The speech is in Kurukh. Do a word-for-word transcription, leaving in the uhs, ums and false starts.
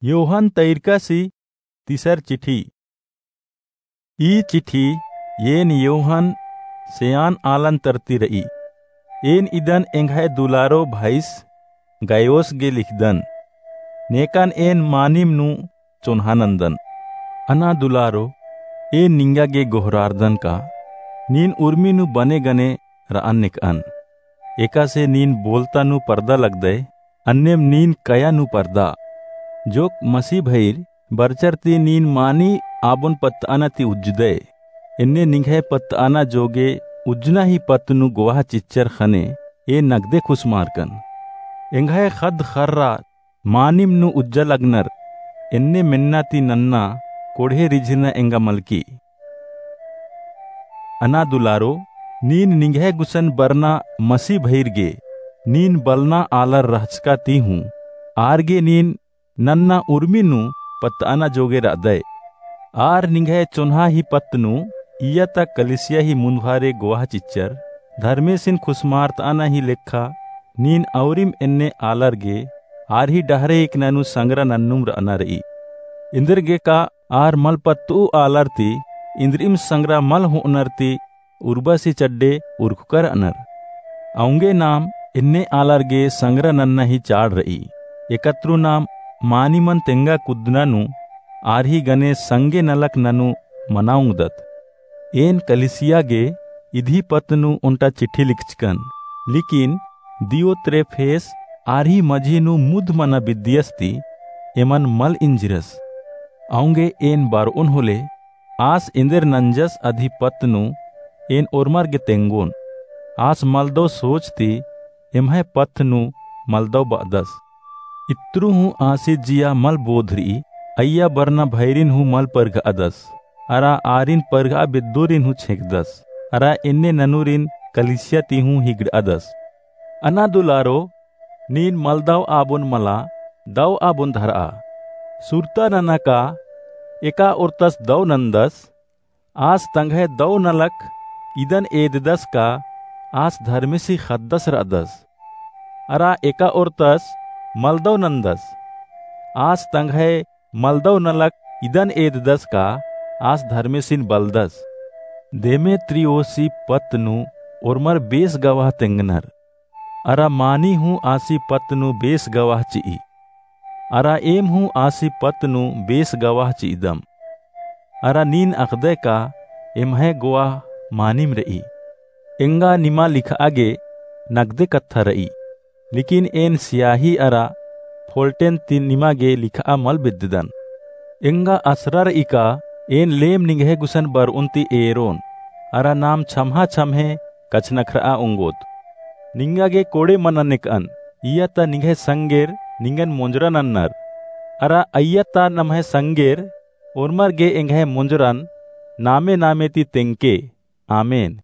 योहन तैरकासी तीसर चिठी। ई चिठी एन योहन सेयान आलन तरती र'ई। एन इदन एंग्है दुलारो भाईस गायोस गे लिखदन। नेकन एन मानिम नू चोन्हा नन्दन। अना दुलारो, एन निंगा गे गोहरारदन का नीन उर्मी नू बने गने र'अन नेक'अन। एकासे नीन बोलता नू परदा लगदय, अन्नेम नीन कया नू परदा। जोक मसीह भइर बरचर ती नीन मानी आबोन पत्त'अना ती उज्जदय। एन्ने निंग्है पत्त'अना जोगे उज्जना ही पत्त नू गोवाह चिच्चर ख़ने एन नगदे खुसमारकन। एंग्है ख़द्द ख़र्रा मानिम नू उज्जा लगनर, एन्ने मेन्ना ती नन्ना कोड़हे रिझिरना एंगा मलकी। अना दुलारो, नीन निंग्है गुसन बरना मसीह भइर गे, नीन बलना आलर रहचका ती हूँ, आर गे नीन नन्ना उर्मी नू पत्त'अना जोगे र'अदय। आर निंग्है चोन्हा ही पत्त नू इय्या ता कलिसिया ही मुन्दभारे गोवाह चिच्चर, धर्मेसिन खुसमारत'अना ही लेखा नीन औरिम एन्ने आलर गे आर ही डहरे एकना नू संगरा नन्नुम र'अना र'ई। एन्देरगे का आर मल पत्त'ऊ आलर ती इन्द्रिइम संगरा मल हो'अनर ती उर्बासी चड्डे उरखुका र'अनर। औंगे नाम एन्ने आलर गे संगरा नन्ना ही चाड़ र'ई। एकतरु नाम मानिमन तेंगा कुद्दना नू आर ही गने संगे नलख ननू मना ओंगदत। एन कलिसिया गे इदी पत्त नू ओन्टा चिट्ठी लिखचकन, लेकिन दियोत्रेफेस आर ही मझी नू मुद्ध मना बिद्दियस ती एमन मल इंजिरस। औंगे एन बर'ओन होले आस एन्देर नंजस अदी पत्त नू एन ओर्मर गे तेंगोन। आस मलदौ सोच ती एम्है पत्त नू मलदौ ब'अदस। इत्रु हूँ आसी जिया मल बोध र'ई, अइय्या बरना भइरिन हूँ मल परघ'अदस। अरा आरिन परघ'आ बेद्दोरिन हूँ छेंकदस। अरा एन्ने ननुरिन कलिसिया ती हूँ हिगड़'अदस। अना दुलारो, नीन मलदौ आबोन मला, दौ आबोन धर'आ। सुरता नना का एका ओर्तस दौ नंदस, आस तंग्है दौ नलख इदन एददस का आस धर्मेसी ख़द्दस र'अदस। अरा एका ओर्तस मलदौ नंदस, आस तंग्है मलदौ नलख इदन एददस का आस धर्मेसिन बलदस। देमेत्रियोसी पत्त नू ओर्मर बेस गवाह तेंगनर। अरा मानी हूँ आसी पत्त नू बेस गवाह चि'ई। अरा एम हूँ आसी पत्त नू बेस गवाह चि'अदम। अरा नीन अख़दय का एम्है गवाह मानिम र'ई। एंगा निमा लिख'आ गे नगदे कत्था र'ई, लेकिन एन सियाही अरा फोल्टेन ती निमा गे लिख'आ मल बेद्ददन। एंगा असरा र'ई का एन लेम निंग्है गुसन बर'ओन ती एरोन, अरा नाम छम्हा छम्हे कछनखर'आ ओंगोत। निंगा गे कोड़े मना नेक'अन, इय्या ता निंग्है संगेर निंगन मोंजरा नन्नर। अरा अइय्या ता नम्है संगेर ओर्मर गे एंग्है मोंजरन नामे नामे ती तेंगके। आमेन।